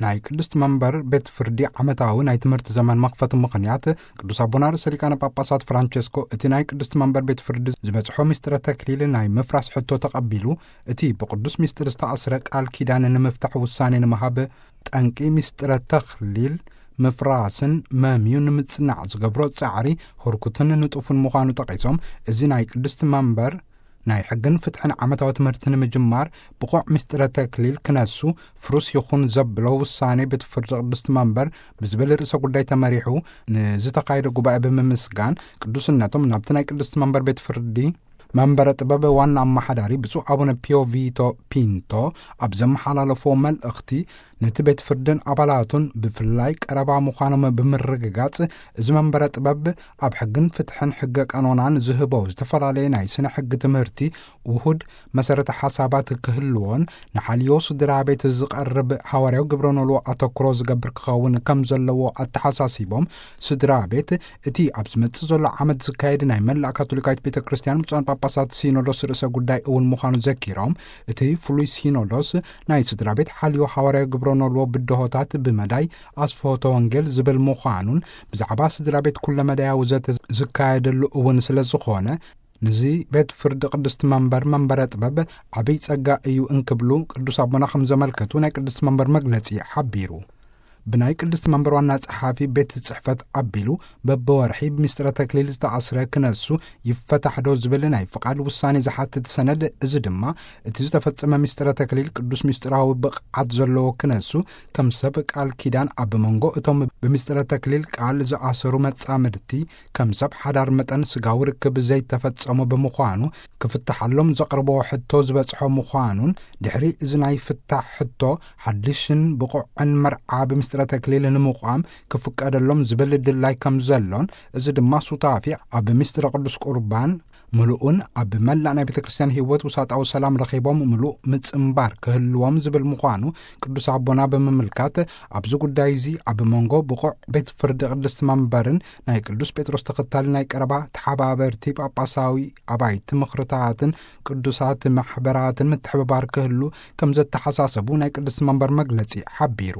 ናይ ቅድስት መንበር ቤት ፍርዲ ዓመታዊ ናይ ትምህርቲ ዘመን መኽፈቲ ምኽንያት፣ ቅዱስ ኣቦና ርእሰ ሊቃነ ጳጳሳት ፍራንቸስኮ እቲ ናይ ቅድስት መንበር ቤት ፍርዲ ዝበጽሖ ምስጢረ ተክሊል ናይ ምፍራስ ሕቶ ተቐቢሉ፣ እቲ ብቅዱስ ምስጢር ዝተኣስረ ቃል ኪዳን ንምፍታሕ ውሳኔ ንምሃብ፣ ጠንቂ ምስጢረ ተክሊል ምፍራስን መምዩ ንምጽናዕ ዝገብሮ ጻዕሪ ህርኩትን ንጡፍን ምዃኑ ጠቒሶም፣ እዚ ናይ ቅድስት መንበር ናይ ሕግን ፍትሕን ዓመታዊ ትምህርቲ ንምጅማር ብቑዕ ምስጢረ ተክሊል ክነሱ ፍሩስ ይኹን ዘብሎ ውሳኔ ቤት ፍርዲ ቅድስት መንበር ብዝብል ርእሰ ጉዳይ ተመሪሑ ንዝተኻየደ ጉባኤ ብምምስጋን፣ ቅዱስነቶም ናብቲ ናይ ቅድስት መንበር ቤት ፍርዲ መንበረ ጥበብ ዋና ኣመሓዳሪ ብፁዕ ኣቡነ ፒዮ ቪቶ ፒንቶ ኣብ ዘመሓላለፍዎ መልእኽቲ፣ ነቲ ቤት ፍርድን ኣባላቱን ብፍላይ ቀረባ ምዃኖም ብምርግጋጽ፣ እዚ መንበረ ጥበብ ኣብ ሕግን ፍትሕን ሕገ ቀኖናን ዝህቦ ዝተፈላለየ ናይ ስነ ሕጊ ትምህርቲ ውሁድ መሰረተ ሓሳባት ክህልዎን፣ ንሓልዮ ስድራ ቤት ዝቐርብ ሃዋርያዊ ግብረ ኖልዎ ኣተኩሮ ዝገብር ክኸውን ከም ዘለዎ ኣተሓሳሲቦም፣ ስድራ ቤት እቲ ኣብ ዝመጽእ ዘሎ ዓመት ዝካየድ ናይ መላእ ካቶሊካዊት ቤተ ክርስቲያን ብፁዓን ጳጳሳት ሲኖዶስ ርእሰ ጉዳይ እውን ምዃኑ ዘኪሮም፣ እቲ ፍሉይ ሲኖዶስ ናይ ስድራ ቤት ሓልዮ ሃዋርያዊ ግብረ ኖልዎ ብድሆታት ብመዳይ ኣስፍሆተ ወንጌል ዝብል ምዃኑን፣ ብዛዕባ ስድራ ቤት ኩለ መዳያዊ ዘተ ዝካየደሉ እውን ስለ ዝኾነ፣ ንዚ ቤት ፍርዲ ቅድስት መንበር መንበረ ጥበብ ዓብይ ጸጋ እዩ እንክብሉ ቅዱስ ኣቦና ከም ዘመልከቱ ናይ ቅድስት መንበር መግለጺ ሓቢሩ። ብናይ ቅድስት መንበር ዋና ጸሓፊ ቤት ጽሕፈት ኣቢሉ በብወርሒ ብምስጢረ ተክሊል ዝተኣስረ ክነሱ ይፈታሕ ዶ ዝብል ናይ ፍቓድ ውሳኔ ዝሓትት ሰነድ፣ እዚ ድማ እቲ ዝተፈጸመ ምስጢረ ተክሊል ቅዱስ ምስጢራዊ ብቕዓት ዘለዎ ክነሱ ከም ሰብ ቃል ኪዳን ኣብ መንጎ እቶም ብምስጢረ ተክሊል ቃል ዝኣሰሩ መጻምድቲ ከም ሰብ ሓዳር መጠን ስጋዊ ርክብ ዘይተፈጸሙ ብምዃኑ ክፍትሓሎም ዘቕርቦ ሕቶ ዝበጽሖ ምዃኑን፣ ድሕሪ እዚ ናይ ፍታሕ ሕቶ ሓድሽን ብቑዕን መርዓ ብምስጢረ ተክሊል ንምቋም ክፍቀደሎም ዝብል ድላይ ከም ዘሎን፣ እዚ ድማ ሱታፊ ኣብ ምስጢረ ቅዱስ ቁርባን ምሉእን ኣብ መላእ ናይ ቤተ ክርስቲያን ህይወት ውሳጣዊ ሰላም ረኺቦም ምሉእ ምጽንባር ክህልዎም ዝብል ምዃኑ ቅዱስ ኣቦና ብምምልካት፣ ኣብዚ ጉዳይ እዚ ኣብ መንጎ ብቑዕ ቤት ፍርዲ ቅድስት መንበርን ናይ ቅዱስ ጴጥሮስ ተኸታሊ ናይ ቀረባ ተሓባበርቲ ጳጳሳዊ ኣባይቲ ምኽርታትን ቅዱሳት ማሕበራትን ምትሕብባር ክህሉ ከም ዘተሓሳሰቡ ናይ ቅድስት መንበር መግለጺ ሓቢሩ።